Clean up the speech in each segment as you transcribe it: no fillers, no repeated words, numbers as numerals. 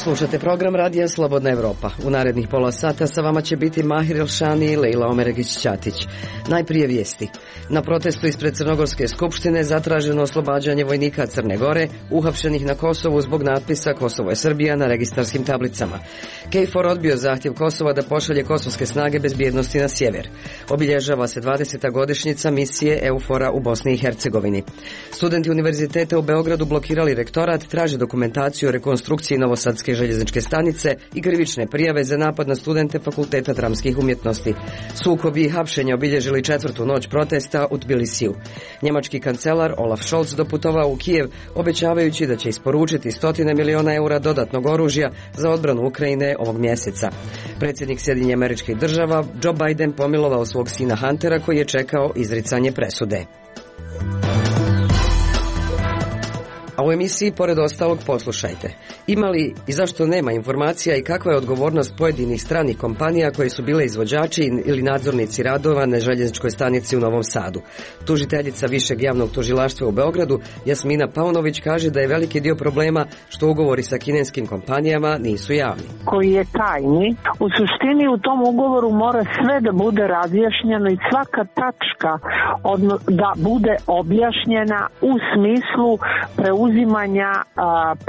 Slušate program Radija Slobodna Evropa. U narednih pola sata sa vama će biti Mahir Elšani i Lejla Omeregić-Ćatić. Najprije vijesti. Na protestu ispred Crnogorske skupštine zatraženo oslobađanje vojnika Crne Gore, uhapšenih na Kosovu zbog natpisa Kosovo je Srbija na registarskim tablicama. KFOR odbio zahtjev Kosova da pošalje kosovske snage bezbjednosti na sjever. Obilježava se 20. godišnjica misije EUFOR-a u Bosni i Hercegovini. Studenti univerziteta u Beogradu blokirali rektorat, traže dokumentaciju o rekonstrukciji Novosadske željezničke stanice i krivične prijave za napad na studente Fakulteta dramskih umjetnosti. Sukobi i hapšenja obilježili četvrtu noć protesta u Tbilisiju. Njemački kancelar Olaf Scholz doputovao u Kijev, obećavajući da će isporučiti 100 miliona eura dodatnog oružja za odbranu Ukrajine ovog mjeseca. Predsjednik Sjedinjenih Američkih Država Joe Biden pomilovao svog sina Huntera koji je čekao izricanje presude. A u emisiji, pored ostalog, poslušajte. Ima li i zašto nema informacija i kakva je odgovornost pojedinih stranih kompanija koje su bile izvođači ili nadzornici radova na željezničkoj stanici u Novom Sadu? Tužiteljica Višeg javnog tužilaštva u Beogradu, Jasmina Paunović, kaže da je veliki dio problema što ugovori sa kineskim kompanijama nisu javni. Koji je tajni. U suštini u tom ugovoru mora sve da bude razjašnjeno i svaka tačka da bude objašnjena u smislu preuzimanja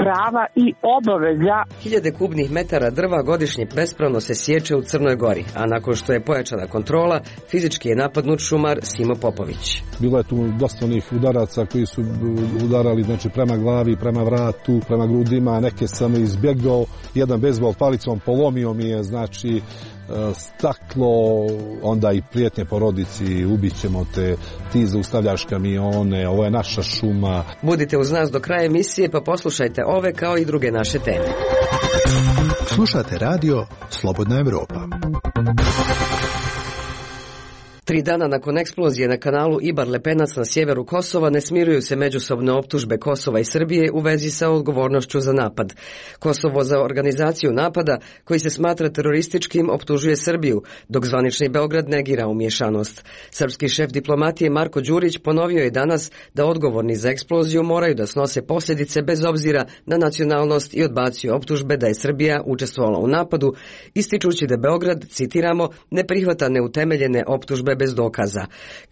prava i obaveza. 1000 kubnih metara drva godišnje bespravno se sječe u Crnoj Gori, a nakon što je pojačana kontrola, fizički je napadnut šumar Simo Popović. Bilo je tu dosta onih udaraca koji su udarali prema glavi, prema vratu, prema grudima, neke sam izbjegao, jedan bejzbol palicom polomio mi je, staklo, onda i prijetnje porodici, ubićemo te, ti zaustavljaš kamione, ovo je naša šuma. Budite uz nas do kraja emisije pa poslušajte ove kao i druge naše teme. Slušate radio Slobodna Evropa. 3 dana nakon eksplozije na kanalu Ibar-Lepenac na sjeveru Kosova ne smiruju se međusobne optužbe Kosova i Srbije u vezi sa odgovornošću za napad. Kosovo za organizaciju napada, koji se smatra terorističkim, optužuje Srbiju, dok zvanični Beograd negira umiješanost. Srpski šef diplomatije Marko Đurić ponovio je danas da odgovorni za eksploziju moraju da snose posljedice bez obzira na nacionalnost i odbacio optužbe da je Srbija učestvovala u napadu, ističući da Beograd, citiramo, ne prihvata neutemeljene optužbe bez dokaza.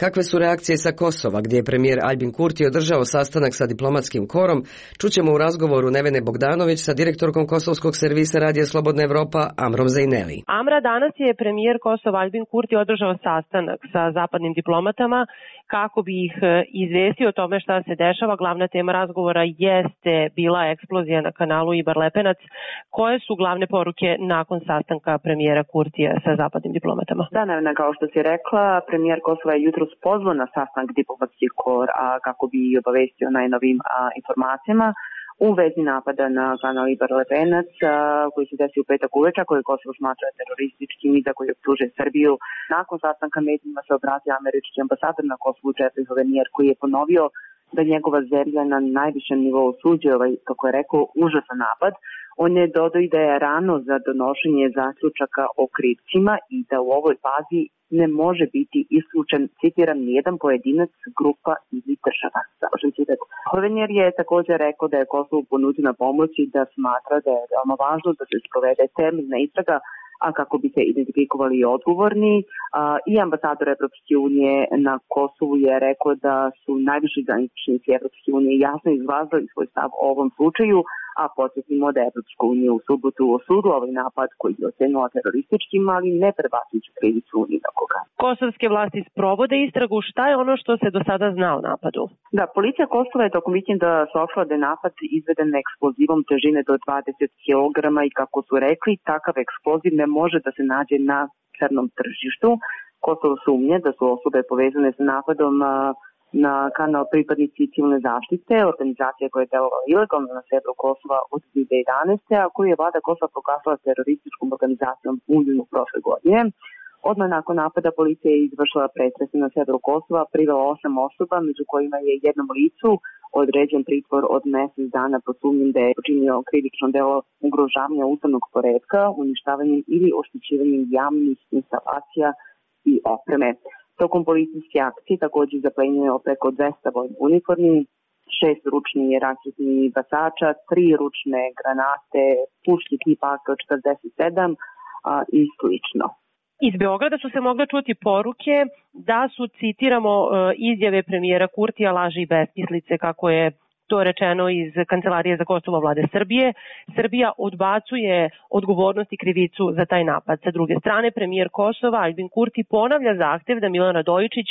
Kakve su reakcije sa Kosova, gdje je premijer Aljbin Kurti održao sastanak sa diplomatskim korom, čućemo u razgovoru Nevene Bogdanović sa direktorkom kosovskog servisa Radija Slobodna Evropa Amrom Zajneli. Amra, danas je premijer Kosova Aljbin Kurti održao sastanak sa zapadnim diplomatama kako bi ih izvestio o tome šta se dešava. Glavna tema razgovora jeste bila eksplozija na kanalu Ibar-Lepenac. Koje su glavne poruke nakon sastanka premijera Kurtija sa zapadnim diplomatama? Da, Nevena, kao što si rekla, premijer Kosova je jutros pozvao na sastanak diplomatski kor kako bi obavestio najnovim informacijama u vezi napada na kanal Ibar-Lepenac koji se desio u petak uveče, koji Kosovo smatra terorističkim i za koji optužuje Srbiju. Nakon sastanka medijima se obratio američki ambasador na Kosovu Jeffrey Hovenier, koji je ponovio da njegova zemlja na najvišem nivou osuđuje kako je rekao, užasan napad. On je dodao i da je rano za donošenje zaključaka o krivcima i da u ovoj fazi ne može biti isključen, citiram, nijedan pojedinac, grupa ili država. Završen citat. Hovenier je također rekao da je Kosovo ponuđena pomoć i da smatra da je veoma važno da se sprovede temeljna istraga, a kako bi se identifikovali odgovorni. I ambasador Evropske unije na Kosovu je rekao da su najviši zvaničnici Evropske unije jasno izrazili svoj stav o ovom slučaju, a podsjetimo da je Evropska unija u subotu osudila ovaj napad koji je ocenila terorističkim, ali ne prebacujući krivicu ni na koga. Kosovske vlasti sprovode istragu. Šta je ono što se do sada zna o napadu? Da, policija Kosova je tokom vikenda saopštila da je napad izveden eksplozivom težine do 20 kg i kako su rekli, takav eksploziv ne može da se nađe na crnom tržištu. Kosovo sumnje da su osobe povezane sa napadom na kanal pripadnici civilne zaštite, organizacija koja je delovala ilegalno na severu Kosova od 2011. a koju je vlada Kosova proglasila terorističkom organizacijom u junu prošle godine. Odmah nakon napada policija je izvršila pretrese na severu Kosova, privela 8 osoba, među kojima je jednom licu određen pritvor od mjesec dana pod sumnjom da je počinio krivično delo ugrožavanja ustavnog poretka, uništavanjem ili oštećivanjem javnih instalacija i opreme. Tokom policijske akcije također zaplenjeno preko 200 vojnih uniformi, 6 ručnih raketnih bacača, 3 ručne granate, puške tipa AK-47 i slično. Iz Beograda su se mogle čuti poruke da su, citiramo, izjave premijera Kurtija laži i besmislice, kako je to rečeno iz Kancelarije za Kosovo vlade Srbije. Srbija odbacuje odgovornost i krivicu za taj napad. Sa druge strane, premijer Kosova Aljbin Kurti ponavlja zahtev da Milan Radojičić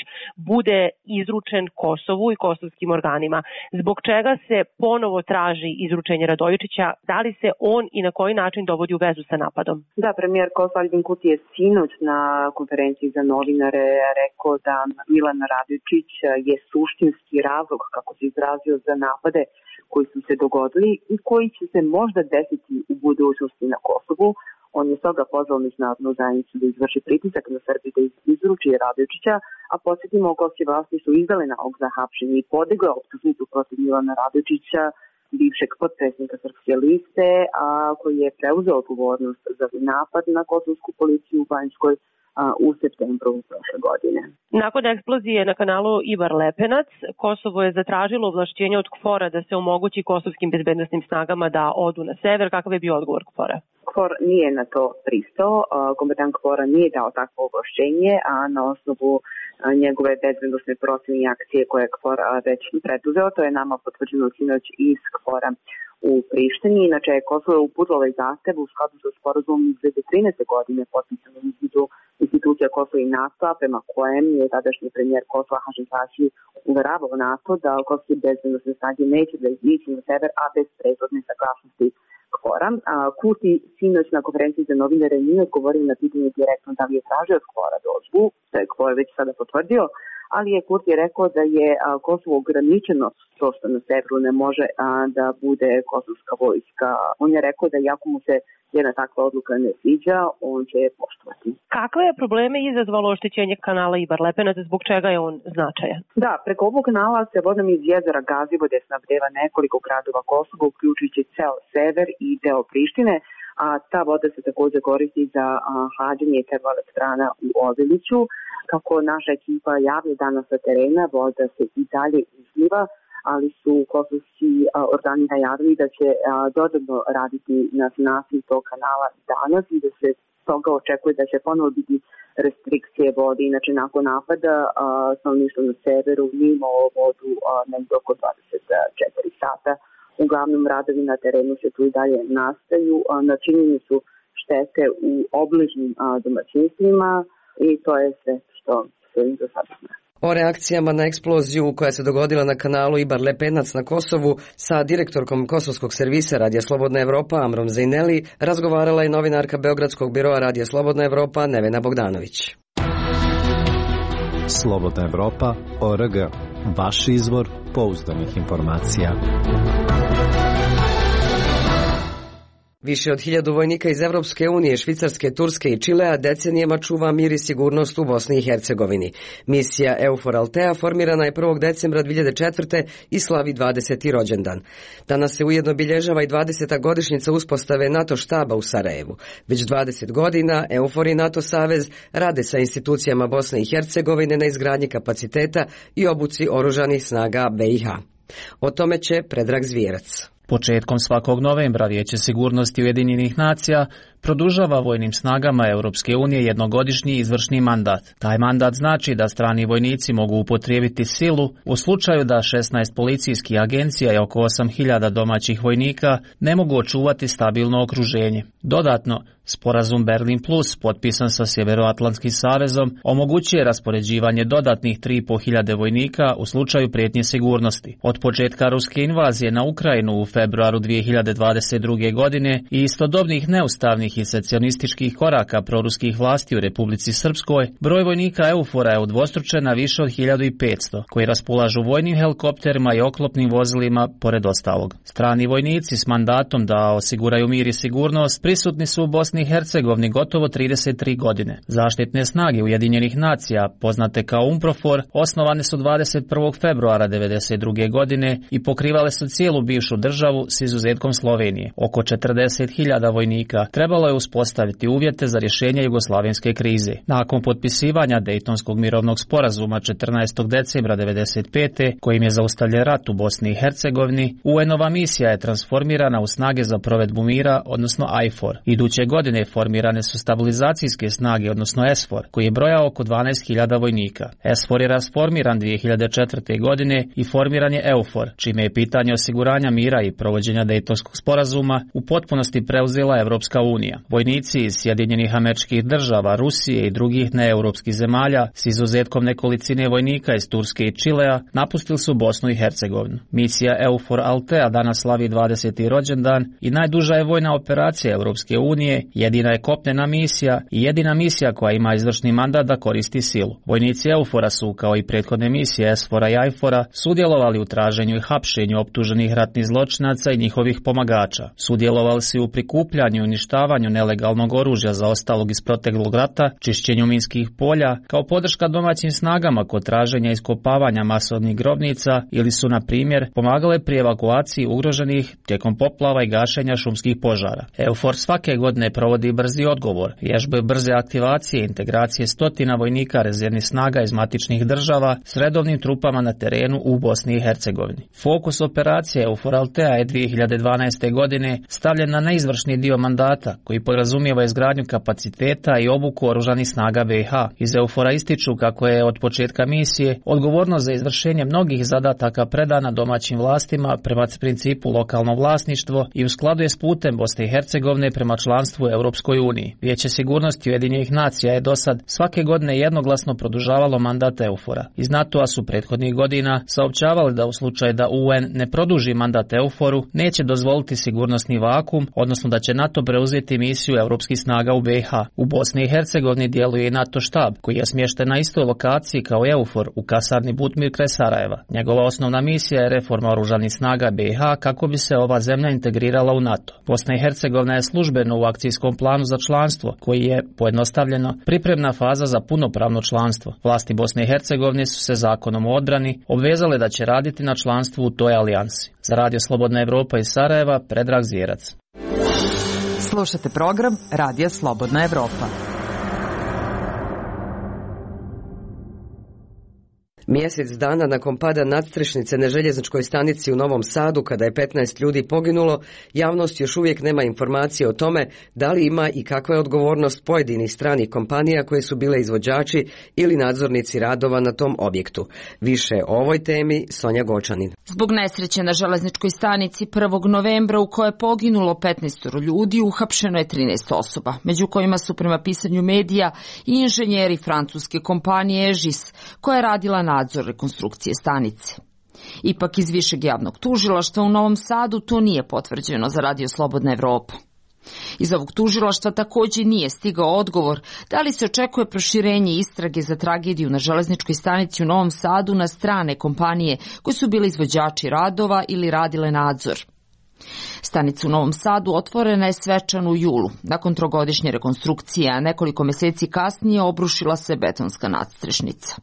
bude izručen Kosovu i kosovskim organima. Zbog čega se ponovo traži izručenje Radojičića? Da li se on i na koji način dovodi u vezu sa napadom? Da, premijer Kosova Aljbin Kurti je sinoć na konferenciji za novinare rekao da Milan Radojičić je suštinski razlog, kako se izrazio, za napad koji su se dogodili i koji će se možda desiti u budućnosti na Kosovu. On je stoga pozvao međunarodnu zajednicu da izvrši pritisak na Srbiju da izruči Radojičića, a podsjetimo, kosovske vlasti su izdale nalog za hapšenje i podigla optužnicu protiv Milana Radojičića, bivšeg potpredsjednika Srpske liste, a koji je preuzeo odgovornost za napad na kosovsku policiju u Banjskoj u septembru prošle godine. Nakon eksplozije na kanalu Ibar Lepenac, Kosovo je zatražilo ovlašćenje od KFOR-a da se omogući kosovskim bezbednosnim snagama da odu na sever. Kakav je bio odgovor KFOR-a? KFOR nije na to pristao, komandant KFOR-a nije dao takvo ovlašćenje, a na osnovu njegove bezbednosne procene i akcije koje je KFOR već preduzeo, to je nama potvrđeno sinoć iz KFOR-a u Prištini. Inače je Kosovo uputilo ovaj zahtev u skladu sa sporazumom iz 2013. godine potpisanom između institucija Kosova i NATO, prema kojem je tadašnji premijer Kosova Hašim Tači uveravao NATO da kosovske bezbednosne snage neće da izići na sever, a bez prethodne saglasnosti KFOR-a. Kurti sinoć na konferenciji za novinare nije odgovorio na pitanje direktno da li je tražio od KFOR-a dozvolu, što je KFOR već sada potvrdio, ali je Kurti rekao da je Kosovo ograničeno to što na severu ne može da bude kosovska vojska. On je rekao da iako mu se jedna takva odluka ne sviđa, on će je poštovati. Kakve je probleme izazvalo oštećenje kanala Ibar Lepenac, zbog čega je on značajan? Da, preko ovog kanala se vodom iz jezera Gazivode snabdeva nekoliko gradova Kosova, uključujući ceo sever i deo Prištine, a ta voda se također koristi za hlađenje termoelektrana u Obiliću. Kako naša ekipa javlja danas sa terena, voda se i dalje izliva, ali su kosovski organi najavili da će dodatno raditi na sanaciji tog kanala danas i da se toga očekuje da će ponovo biti restrikcije vode. Inače, nakon napada stanovništvo na severu nije imalo vodu negdje oko 24 sata. Uglavnom radovi na terenu se tu i dalje nastaju. Načinjeni su štete u obližnjim domaćinstvima i to je sve što se do sada zna. O reakcijama na eksploziju koja se dogodila na kanalu Ibar Lepenac na Kosovu sa direktorkom kosovskog servisa Radija Slobodna Evropa Amrom Zejneli razgovarala je novinarka Beogradskog biroa Radija Slobodna Evropa Nevena Bogdanović. Slobodna Evropa.org. Vaš izvor pouzdanih informacija. Više od 1000 vojnika iz Evropske unije, Švicarske, Turske i Čilea decenijama čuva mir i sigurnost u Bosni i Hercegovini. Misija EUFOR Altea formirana je 1. decembra 2004. i slavi 20. rođendan. Danas se ujedno obilježava i 20. godišnjica uspostave NATO štaba u Sarajevu. Već 20 godina EUFOR i NATO savez rade sa institucijama Bosne i Hercegovine na izgradnji kapaciteta i obuci oružanih snaga BiH. O tome će Predrag Zvijerac. Početkom svakog novembra Vijeće sigurnosti Ujedinjenih nacija produžava vojnim snagama Europske unije jednogodišnji izvršni mandat. Taj mandat znači da strani vojnici mogu upotrijebiti silu u slučaju da 16 policijskih agencija i oko 8000 domaćih vojnika ne mogu očuvati stabilno okruženje. Dodatno, sporazum Berlin Plus, potpisan sa Sjeveroatlantskim savezom, omogućuje raspoređivanje dodatnih 3500 vojnika u slučaju prijetnje sigurnosti. Od početka ruske invazije na Ukrajinu u februaru 2022. godine i istodobnih neustavnih i secesionističkih koraka proruskih vlasti u Republici Srpskoj, broj vojnika EUFOR-a je udvostručen na više od 1500, koji raspolažu vojnim helikopterima i oklopnim vozilima, pored ostalog. Strani vojnici s mandatom da osiguraju mir i sigurnost prisutni su u Bosni Bosni i Hercegovini gotovo 33 godine. Zaštitne snage Ujedinjenih nacija, poznate kao UNPROFOR, osnovane su 21. februara 1992. godine i pokrivale su cijelu bivšu državu s izuzetkom Slovenije. Oko 40.000 vojnika trebalo je uspostaviti uvjete za rješenje jugoslavenske krize. Nakon potpisivanja Dejtonskog mirovnog sporazuma 14. decembra 1995. kojim je zaustavljen rat u Bosni i Hercegovini, UN-ova misija je transformirana u snage za provedbu mira, odnosno IFOR. Iduće godine formirane su stabilizacijske snage, odnosno SFOR, koji je brojao oko 12.000 vojnika. SFOR je rasformiran 2004. godine i formiran je EUFOR, čime je pitanje osiguranja mira i provođenja Dejtonskog sporazuma u potpunosti preuzela Evropska unija. Vojnici iz Sjedinjenih Američkih Država, Rusije i drugih neeuropskih zemalja, s izuzetkom nekolicine vojnika iz Turske i Čilea, napustili su Bosnu i Hercegovinu. Misija EUFOR Altea danas slavi 20. rođendan i najduža je vojna operacija Evropske unije, jedina je kopnena misija i jedina misija koja ima izvršni mandat da koristi silu. Vojnici EUFOR-a su, kao i prethodne misije SFOR-a i IFOR-a, sudjelovali u traženju i hapšenju optuženih ratnih zločinaca i njihovih pomagača. Sudjelovali su u prikupljanju i uništavanju nelegalnog oružja zaostalog iz proteklog rata, čišćenju minskih polja, kao podrška domaćim snagama kod traženja i iskopavanja masovnih grobnica ili su, na primjer, pomagale pri evakuaciji ugroženih tijekom poplava i gašenja šumskih požara. EUFOR svake godine provodi brzi odgovor, vježbe brze aktivacije i integracije stotina vojnika rezervnih snaga iz matičnih država s redovnim trupama na terenu u Bosni i Hercegovini. Fokus operacije EUFOR Altea je 2012. godine stavljen na neizvršni dio mandata, koji podrazumijeva izgradnju kapaciteta i obuku oružanih snaga BiH. Iz EUFOR-a ističu kako je od početka misije odgovornost za izvršenje mnogih zadataka predana domaćim vlastima prema principu lokalno vlasništvo i u skladu je s putem Bosne i Hercegovine prema članstvu u Europskoj uniji. Vijeće sigurnosti Ujedinjenih nacija je dosad svake godine jednoglasno produžavalo mandat EUFOR-a. Iz NATO-a su prethodnih godina saopćavali da u slučaju da UN ne produži mandat EUFOR-u, neće dozvoliti sigurnosni vakum, odnosno da će NATO preuzeti misiju europskih snaga u BiH. U Bosni i Hercegovini djeluje i NATO štab, koji je smješten na istoj lokaciji kao EUFOR u kasarni Butmir kraj Sarajeva. Njegova osnovna misija je reforma oružanih snaga BiH kako bi se ova zemlja integrirala u NATO. Bosna i Hercegovina je službeno u akcijskom planu za članstvo, koji je, pojednostavljeno, pripremna faza za punopravno članstvo. Vlasti Bosne i Hercegovine su se zakonom o odbrani obvezale da će raditi na članstvu u toj alijansi. Za Radio Slobodna Evropa iz Sarajeva, Predrag Zvjerac. Slušate program Radija Slobodna Evropa. Mjesec dana nakon pada nadstrešnice na željezničkoj stanici u Novom Sadu, kada je 15 ljudi poginulo, javnost još uvijek nema informacije o tome da li ima i kakva je odgovornost pojedinih stranih kompanija koje su bile izvođači ili nadzornici radova na tom objektu. Više o ovoj temi Sonja Gočanin. Zbog nesreće na željezničkoj stanici 1. novembra u kojoj je poginulo 15 ljudi, uhapšeno je 13 osoba, među kojima su prema pisanju medija i inženjeri francuske kompanije EGIS, koja je radila nadzor rekonstrukcije stanice. Ipak iz Višeg javnog tužilaštva u Novom Sadu to nije potvrđeno za Radio Slobodna Evropa. Iz ovog tužilaštva također nije stigao odgovor da li se očekuje proširenje istrage za tragediju na železničkoj stanici u Novom Sadu na strane kompanije koje su bile izvođači radova ili radile nadzor. Stanica u Novom Sadu otvorena je svečano u julu. Nakon trogodišnje rekonstrukcije, a nekoliko mjeseci kasnije obrušila se betonska nadstrešnica.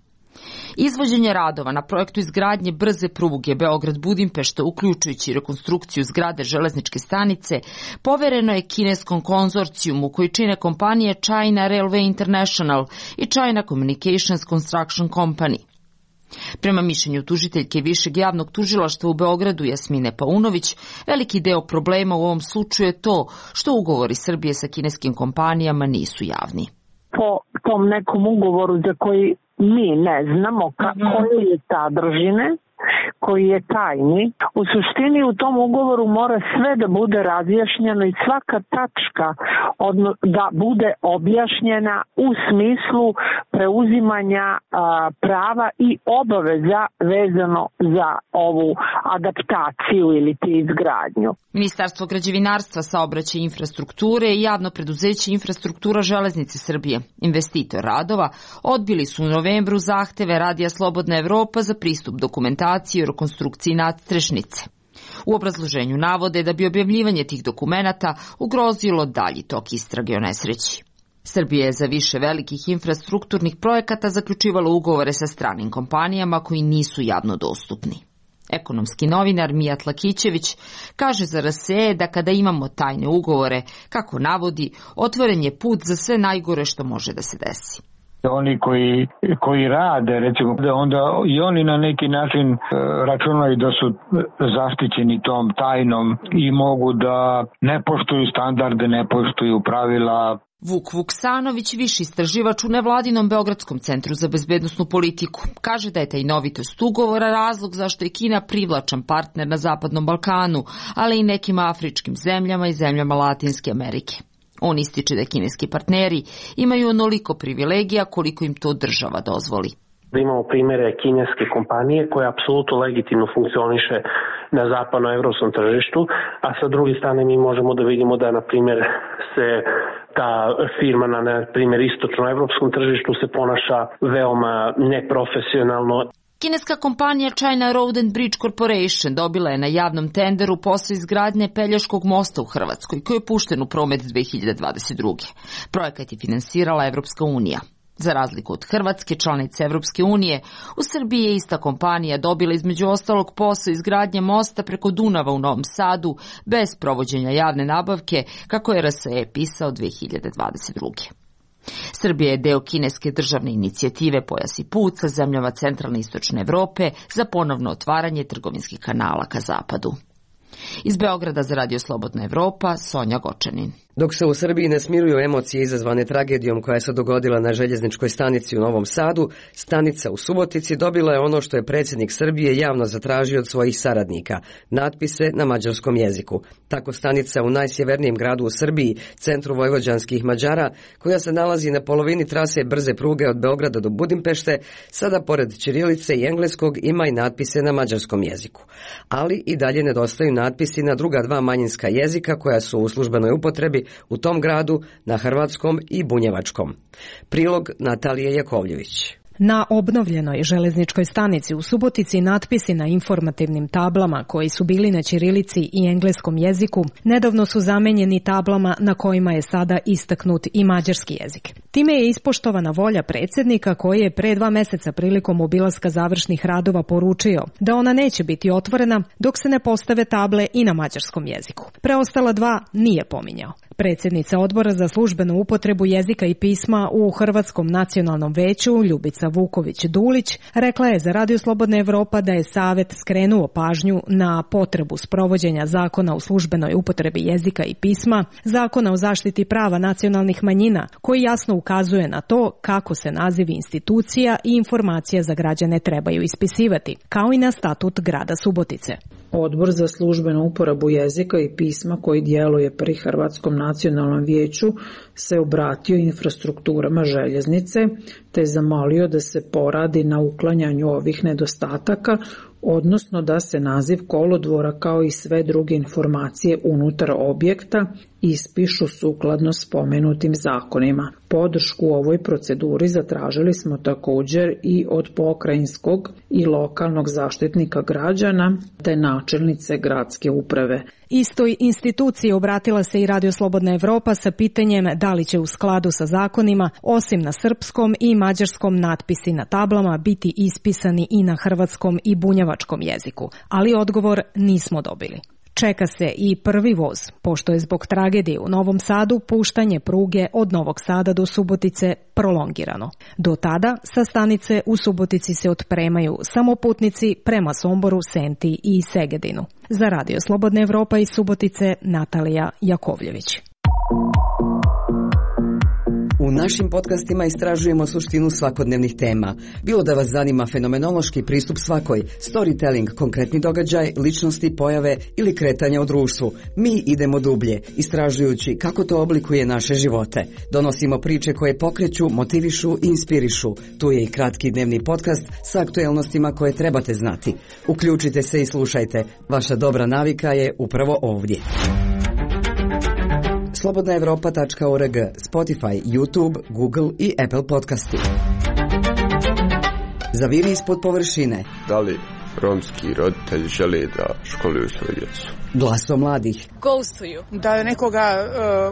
Izvođenje radova na projektu izgradnje brze pruge Beograd-Budimpešta, uključujući rekonstrukciju zgrade železničke stanice, povereno je kineskom konzorcijumu koji čine kompanije China Railway International i China Communications Construction Company. Prema mišljenju tužiteljke Višeg javnog tužilaštva u Beogradu Jasmine Paunović, veliki deo problema u ovom slučaju je to što ugovori Srbije sa kineskim kompanijama nisu javni. Po tom nekom ugovoru za koji mi ne znamo koje je sadržine, koji je tajni, u suštini u tom ugovoru mora sve da bude razjašnjeno i svaka tačka da bude objašnjena u smislu preuzimanja prava i obaveza vezano za ovu adaptaciju ili izgradnju. Ministarstvo građevinarstva, saobraćaja i infrastrukture i javno preduzeće Infrastruktura železnice Srbije, investitor radova, odbili su u novembru zahteve Radija Slobodna Evropa za pristup dokumentaciji o rekonstrukciji nadstrešnice. U obrazloženju navode da bi objavljivanje tih dokumenata ugrozilo dalji tok istrage o nesreći. Srbija je za više velikih infrastrukturnih projekata zaključivala ugovore sa stranim kompanijama koji nisu javno dostupni. Ekonomski novinar Mijat Lakićević kaže za RSE da kada imamo tajne ugovore, kako navodi, otvoren je put za sve najgore što može da se desi. Oni koji rade, recimo, onda i oni na neki način računaju da su zaštićeni tom tajnom i mogu da ne poštuju standarde, ne poštuju pravila. Vuk Vuksanović, viši istraživač u nevladinom Beogradskom centru za bezbednosnu politiku, kaže da je tajnovitost ugovora razlog zašto je Kina privlačan partner na Zapadnom Balkanu, ali i nekim afričkim zemljama i zemljama Latinske Amerike. On ističe da kineski partneri imaju onoliko privilegija koliko im to država dozvoli. Da imamo primjere kineske kompanije koja apsolutno legitimno funkcioniše na zapadnoevropskom tržištu, a sa druge strane mi možemo da vidimo da, na primjer, se ta firma na primjer istočnoevropskom tržištu se ponaša veoma neprofesionalno. Kineska kompanija China Road and Bridge Corporation dobila je na javnom tenderu posao izgradnje Pelješkog mosta u Hrvatskoj, koji je pušten u promet 2022. Projekat je finansirala Evropska unija. Za razliku od Hrvatske, članice Evropske unije, u Srbiji je ista kompanija dobila između ostalog posao izgradnje mosta preko Dunava u Novom Sadu bez provođenja javne nabavke, kako je RSE pisao 2022. Srbija je deo kineske državne inicijative Pojas i put sa zemljama centralne i istočne Evrope za ponovno otvaranje trgovinskih kanala ka zapadu. Iz Beograda za Radio Slobodna Evropa, Sonja Gočanin. Dok se u Srbiji ne smiruju emocije izazvane tragedijom koja se dogodila na željezničkoj stanici u Novom Sadu, stanica u Subotici dobila je ono što je predsjednik Srbije javno zatražio od svojih saradnika, natpise na mađarskom jeziku. Tako stanica u najsjevernijem gradu u Srbiji, centru vojvođanskih Mađara, koja se nalazi na polovini trase brze pruge od Beograda do Budimpešte, sada pored ćirilice i engleskog ima i natpise na mađarskom jeziku. Ali i dalje nedostaju natpisi na druga dva manjinska jezika koja su u službenoj upotrebi u tom gradu na hrvatskom i bunjevačkom. Prilog Natalije Jakovljević. Na obnovljenoj železničkoj stanici u Subotici natpisi na informativnim tablama koji su bili na ćirilici i engleskom jeziku nedavno su zamenjeni tablama na kojima je sada istaknut i mađarski jezik. Time je ispoštovana volja predsjednika koji je pre 2 meseca prilikom obilaska završnih radova poručio da ona neće biti otvorena dok se ne postave table i na mađarskom jeziku. Preostala 2 nije pominjao. Predsjednica Odbora za službenu upotrebu jezika i pisma u Hrvatskom nacionalnom veću, Ljubica Vuković-Dulić, rekla je za Radio Slobodna Evropa da je Savet skrenuo pažnju na potrebu sprovođenja zakona o službenoj upotrebi jezika i pisma, zakona o zaštiti prava nacionalnih manjina, koji jasno ukazuje na to kako se nazivi institucija i informacija za građane trebaju ispisivati, kao i na statut grada Subotice. Odbor za službenu uporabu jezika i pisma koji djeluje pri Hrvatskom nacionalnom vijeću se obratio infrastrukturama željeznice te zamolio da se poradi na uklanjanju ovih nedostataka, odnosno da se naziv kolodvora kao i sve druge informacije unutar objekta ispišu sukladno spomenutim zakonima. Podršku u ovoj proceduri zatražili smo također i od pokrajinskog i lokalnog zaštitnika građana te načelnice gradske uprave. Istoj instituciji obratila se i Radio Slobodna Evropa sa pitanjem da li će u skladu sa zakonima, osim na srpskom i mađarskom, natpisi na tablama biti ispisani i na hrvatskom i bunjevačkom jeziku, ali odgovor nismo dobili. Čeka se i prvi voz, pošto je zbog tragedije u Novom Sadu puštanje pruge od Novog Sada do Subotice prolongirano. Do tada sa stanice u Subotici se otpremaju samo putnici prema Somboru, Senti i Segedinu. Za Radio Slobodna Evropa iz Subotice, Natalija Jakovljević. U našim podcastima istražujemo suštinu svakodnevnih tema. Bilo da vas zanima fenomenološki pristup svakoj, storytelling, konkretni događaj, ličnosti, pojave ili kretanja u društvu. Mi idemo dublje, istražujući kako to oblikuje naše živote. Donosimo priče koje pokreću, motivišu i inspirišu. Tu je i kratki dnevni podcast sa aktuelnostima koje trebate znati. Uključite se i slušajte. Vaša dobra navika je upravo ovdje. slobodnaevropa.org, Spotify, YouTube, Google i Apple podcasti. Zaviri ispod površine. Da li romski roditelji žele da školuju svoju djecu. Glaso mladih. Gostuju. Da nekoga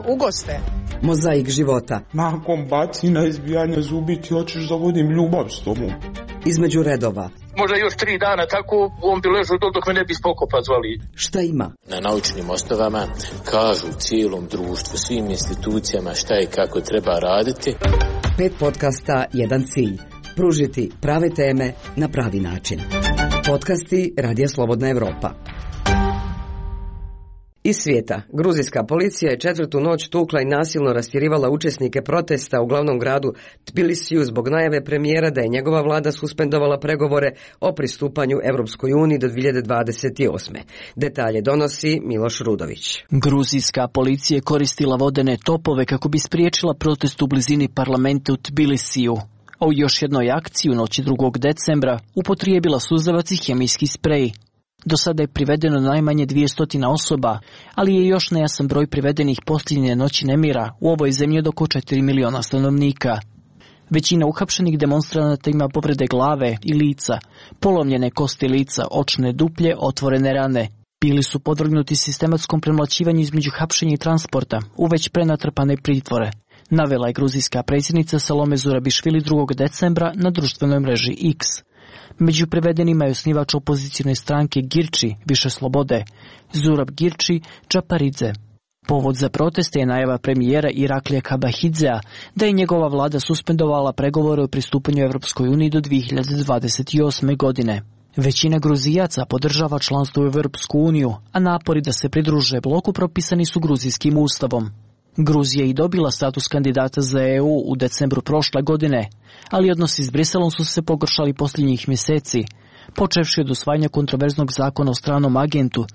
ugoste. Mozaik života. Nakon bacina, izbijanja zubi ti hoćeš da vodim ljubav s tobom. Između redova. Možda još 3 dana tako on bi ležao dok me ne bi spokopa zvali. Šta ima? Na naučnim osnovama kažu cijelom društvu, svim institucijama šta i kako treba raditi. 5 podcasta, 1 cilj. Pružiti prave teme na pravi način. Podcasti Radija Slobodna Evropa. Iz svijeta, gruzijska policija je 4. noć tukla i nasilno rastjerivala učesnike protesta u glavnom gradu Tbilisiju zbog najave premijera da je njegova vlada suspendovala pregovore o pristupanju Europskoj uniji do 2028. Detalje donosi Miloš Rudović. Gruzijska policija je koristila vodene topove kako bi spriječila protest u blizini parlamenta u Tbilisiju. A u još jednoj akciji u noći 2. decembra upotrijebila suzavac i hemijski sprej. Do sada je privedeno najmanje 200 osoba, ali je još nejasan broj privedenih posljednje noći nemira u ovoj zemlji od oko 4 miliona stanovnika. Većina uhapšenih demonstranata ima povrede glave i lica, polomljene kosti lica, očne duplje, otvorene rane. Bili su podvrgnuti sistematskom premlaćivanju između hapšenja i transporta u već prenatrpane pritvore, navela je gruzijska predsjednica Salome Zurabišvili 2. decembra na društvenoj mreži X. Među privedenima je osnivač opozicijne stranke Girči, Više slobode, Zurab Girči Čaparidze. Povod za proteste je najava premijera Iraklija Kabahidzea da je njegova vlada suspendovala pregovore o pristupanju Europskoj uniji do 2028. godine. Većina Gruzijaca podržava članstvo u Europsku uniju, a napori da se pridruže bloku propisani su gruzijskim ustavom. Gruzija je i dobila status kandidata za EU u decembru prošle godine, ali odnosi s Briselom su se pogoršali posljednjih mjeseci, počevši od usvajanja kontroverznog zakona o stranom agentu,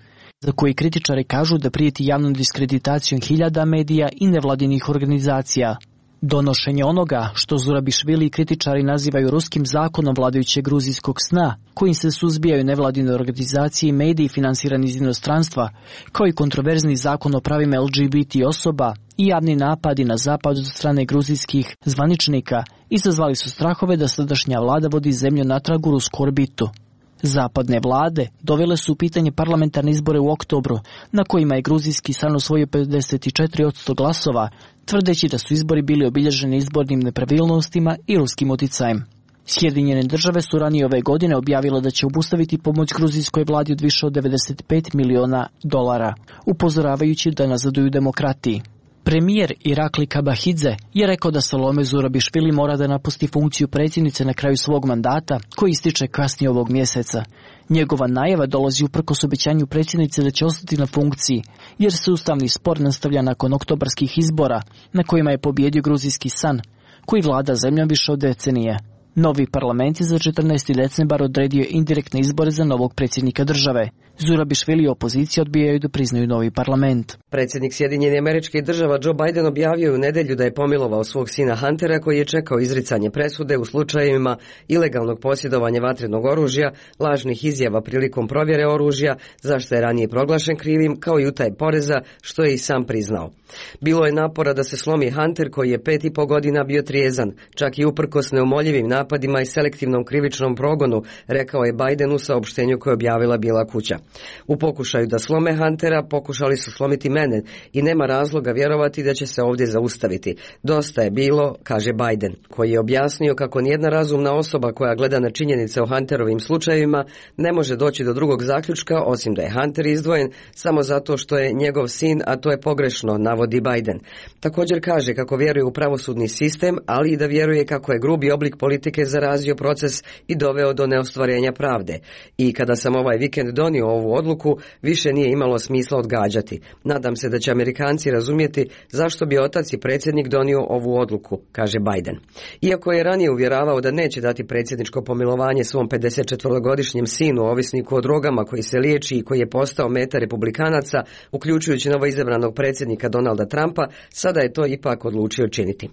za koji kritičari kažu da prijeti javnom diskreditacijom hiljada medija i nevladinih organizacija. Donošenje onoga što Zurabišvili i kritičari nazivaju ruskim zakonom vladajućeg gruzijskog sna, kojim se suzbijaju nevladine organizacije i mediji finansirani iz inostranstva, kao i kontroverzni zakon o pravima LGBT osoba i javni napadi na zapad od strane gruzijskih zvaničnika, izazvali su strahove da sadašnja vlada vodi zemlju natrag u rusku orbitu. Zapadne vlade dovele su u pitanje parlamentarne izbore u oktobru, na kojima je gruzijski san osvojio 54% glasova, tvrdeći da su izbori bili obilježeni izbornim nepravilnostima i ruskim uticajem. Sjedinjene države su ranije ove godine objavile da će obustaviti pomoć gruzijskoj vladi od više od $95 miliona, upozoravajući da nazaduju demokratiji. Premijer Irakli Kabahidze je rekao da Salome Zurabišvili mora da napusti funkciju predsjednice na kraju svog mandata, koji ističe kasnije ovog mjeseca. Njegova najava dolazi uprkos obećanju predsjednice da će ostati na funkciji, jer se ustavni spor nastavlja nakon oktobarskih izbora, na kojima je pobjedio gruzijski san, koji vlada zemljom više od decenije. Novi parlament je za 14. decembar odredio indirektne izbore za novog predsjednika države. Zurabišvili i opozicija odbijaju da priznaju novi parlament. Predsjednik Sjedinjenih Američkih Država Joe Biden objavio u nedjelju da je pomilovao svog sina Huntera koji je čekao izricanje presude u slučajevima ilegalnog posjedovanja vatrenog oružja, lažnih izjava prilikom provjere oružja, zašto je ranije proglašen krivim, kao i utaje poreza, što je i sam priznao. Bilo je napora da se slomi Hunter koji je 5,5 godina bio trijezan, čak i uprkos neumoljivim napadima i selektivnom krivičnom progonu, rekao je Biden u saopštenju koje je objavila Bijela kuća. U pokušaju da slome Huntera pokušali su slomiti mene i nema razloga vjerovati da će se ovdje zaustaviti. Dosta je bilo, kaže Biden, koji je objasnio kako nijedna razumna osoba koja gleda na činjenice o Hunterovim slučajevima ne može doći do drugog zaključka osim da je Hunter izdvojen samo zato što je njegov sin, a to je pogrešno, navodi Biden. Također kaže kako vjeruje u pravosudni sistem, ali i da vjeruje kako je grubi oblik politike zarazio proces i doveo do neostvarenja pravde. I kada sam ovaj vikend donio ovu odluku, više nije imalo smisla odgađati. Nadam se da će Amerikanci razumjeti zašto bi otac i predsjednik donio ovu odluku, kaže Biden. Iako je ranije uvjeravao da neće dati predsjedničko pomilovanje svom 54-godišnjem sinu, ovisniku o drogama koji se liječi i koji je postao meta republikanaca, uključujući novoizabranog predsjednika Donalda Trumpa, sada je to ipak odlučio činiti.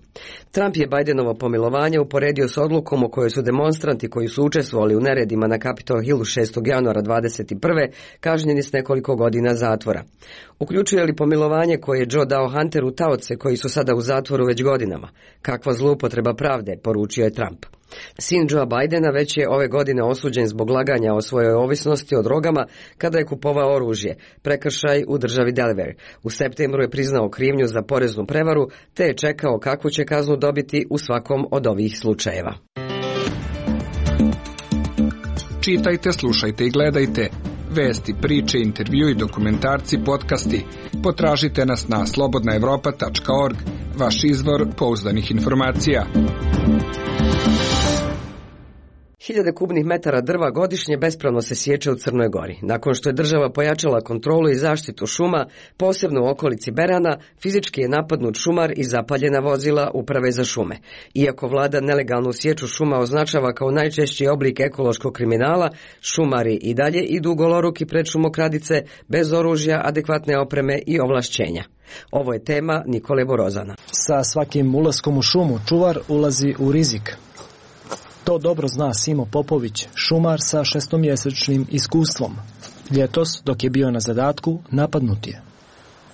Trump je Bidenovo pomilovanje uporedio s odlukom o kojoj su demonstranti koji su učestvovali u neredima na Capitol Hillu 6. januara 2021. kažnjeni s nekoliko godina zatvora. Uključuje li pomilovanje koje je Joe dao Hunteru taoce koji su sada u zatvoru već godinama? Kakva zloupotreba pravde, poručio je Trump. Sin Joea Bidena već je ove godine osuđen zbog laganja o svojoj ovisnosti o drogama kada je kupovao oružje, prekršaj u državi Delaware. U septembru je priznao krivnju za poreznu prevaru, te je čekao kakvu će kaznu dobiti u svakom od ovih slučajeva. Čitajte, slušajte i gledajte. Vesti, priče, intervju i dokumentarci, podcasti. Potražite nas na slobodnaevropa.org, vaš izvor pouzdanih informacija. 1000 kubnih metara drva godišnje bespravno se sječe u Crnoj Gori. Nakon što je država pojačala kontrolu i zaštitu šuma, posebno u okolici Berana, fizički je napadnut šumar i zapaljena vozila Uprave za šume. Iako vlada nelegalnu sječu šuma označava kao najčešći oblik ekološkog kriminala, šumari i dalje idu goloruki pred šumokradice bez oružja, adekvatne opreme i ovlašćenja. Ovo je tema Nikole Borozana. Sa svakim ulaskom u šumu čuvar ulazi u rizik. To dobro zna Simo Popović, šumar sa 6-mjesečnim iskustvom. Ljetos, dok je bio na zadatku, napadnut je.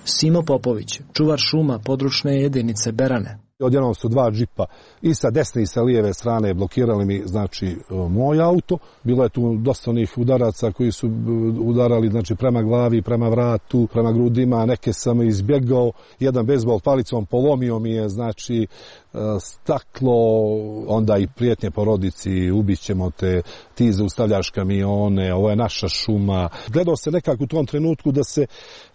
Simo Popović, čuvar šuma područne jedinice Berane. Odjednom su 2 džipa i sa desne i sa lijeve strane blokirali mi, znači, moj auto. Bilo je tu dosta onih udaraca koji su udarali, znači, prema glavi, prema vratu, prema grudima. Neke sam izbjegao. Jedan bejzbol palicom polomio mi je, znači, staklo, onda i prijetnje porodici, ubićemo te, ti zaustavljaš kamione, ovo je naša šuma. Gledao se nekako u tom trenutku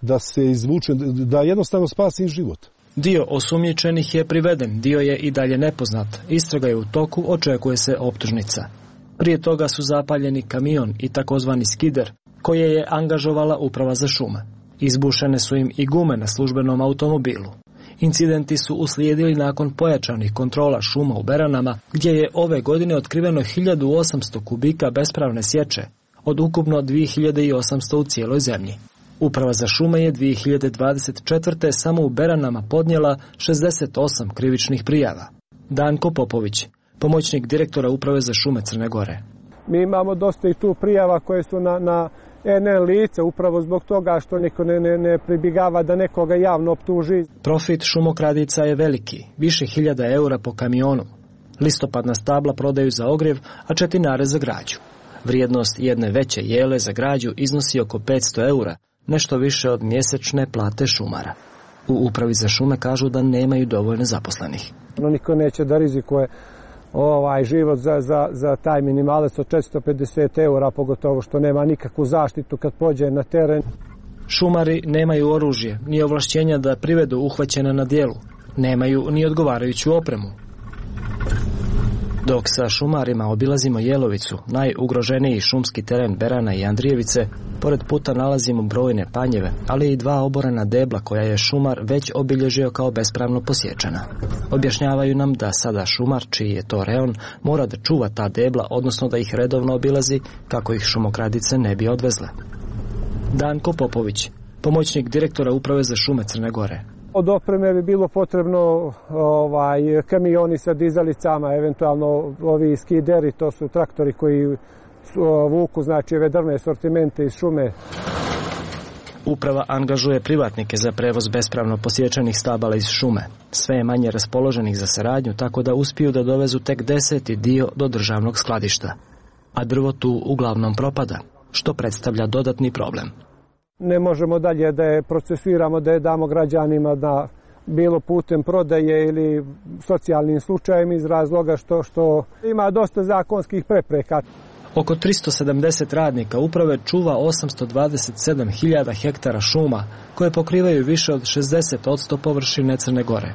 da se izvuče, da jednostavno spasi život. Dio osumnjičenih je priveden, dio je i dalje nepoznat. Istraga je u toku, očekuje se optužnica. Prije toga su zapaljeni kamion i takozvani skider, koje je angažovala Uprava za šume. Izbušene su im i gume na službenom automobilu. Incidenti su uslijedili nakon pojačanih kontrola šuma u Beranama, gdje je ove godine otkriveno 1800 kubika bespravne sječe, od ukupno 2800 u cijeloj zemlji. Uprava za šume je 2024. samo u Beranama podnijela 68 krivičnih prijava. Danko Popović, pomoćnik direktora Uprave za šume Crne Gore. Mi imamo dosta i tu prijava koje su na NN lice, upravo zbog toga što niko ne pribjegava da nekoga javno optuži. Profit šumokradica je veliki, više 1000 eura po kamionu. Listopadna stabla prodaju za ogrjev, a četinare za građu. Vrijednost jedne veće jele za građu iznosi oko 500 eura, nešto više od mjesečne plate šumara. U Upravi za šume kažu da nemaju dovoljno zaposlenih. Niko neće da rizikuje život za taj minimalac od 450 eura, pogotovo što nema nikakvu zaštitu kad pođe na teren. Šumari nemaju oružje, ni ovlašćenja da privedu uhvaćene na djelu. Nemaju ni odgovarajuću opremu. Dok sa šumarima obilazimo Jelovicu, najugroženiji šumski teren Berana i Andrijevice, pored puta nalazimo brojne panjeve, ali i 2 oborena debla koja je šumar već obilježio kao bespravno posječena. Objašnjavaju nam da sada šumar, čiji je to reon, mora da čuva ta debla, odnosno da ih redovno obilazi kako ih šumokradice ne bi odvezle. Danko Popović, pomoćnik direktora Uprave za šume Crne Gore. Od opreme bi bilo potrebno kamioni sa dizalicama, eventualno ovi skideri, to su traktori koji vuku, znači, ove drvne sortimente iz šume. Uprava angažuje privatnike za prevoz bespravno posječenih stabala iz šume. Sve je manje raspoloženih za saradnju, tako da uspiju da dovezu tek 10. dio do državnog skladišta. A drvo tu uglavnom propada, što predstavlja dodatni problem. Ne možemo dalje da je procesuiramo, da je damo građanima da bilo putem prodaje ili socijalnim slučajem iz razloga što ima dosta zakonskih prepreka. Oko 370 radnika uprave čuva 827.000 hektara šuma koje pokrivaju više od 60% površine Crne Gore.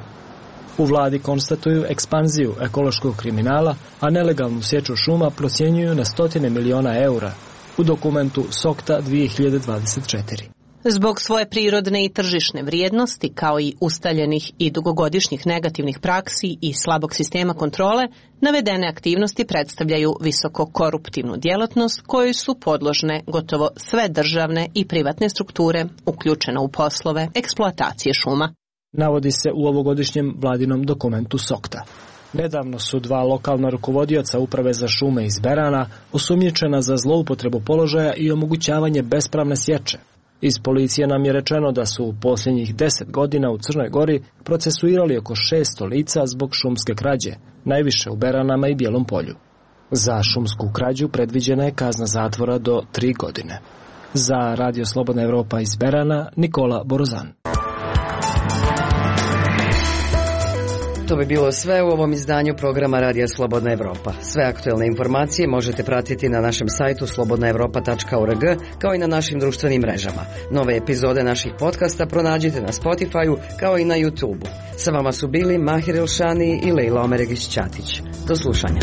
U vladi konstatuju ekspanziju ekološkog kriminala, a nelegalnu sječu šuma procjenjuju na 100 miliona eura. U dokumentu SOKTA 2024. Zbog svoje prirodne i tržišne vrijednosti, kao i ustaljenih i dugogodišnjih negativnih praksi i slabog sistema kontrole, navedene aktivnosti predstavljaju visoko koruptivnu djelatnost kojoj su podložne gotovo sve državne i privatne strukture uključene u poslove eksploatacije šuma. Navodi se u ovogodišnjem vladinom dokumentu SOKTA. Nedavno su 2 lokalna rukovodioca Uprave za šume iz Berana osumnjičena za zloupotrebu položaja i omogućavanje bespravne sječe. Iz policije nam je rečeno da su u posljednjih 10 godina u Crnoj Gori procesuirali oko 600 lica zbog šumske krađe, najviše u Beranama i Bijelom Polju. Za šumsku krađu predviđena je kazna zatvora do 3 godine. Za Radio Slobodna Evropa iz Berana, Nikola Borozan. To bi bilo sve u ovom izdanju programa Radija Slobodna Evropa. Sve aktuelne informacije možete pratiti na našem sajtu slobodnaevropa.org kao i na našim društvenim mrežama. Nove epizode naših podcasta pronađite na Spotify-u kao i na YouTube-u. Sa vama su bili Mahir Elšani i Leila Omeregić-Ćatić. Do slušanja.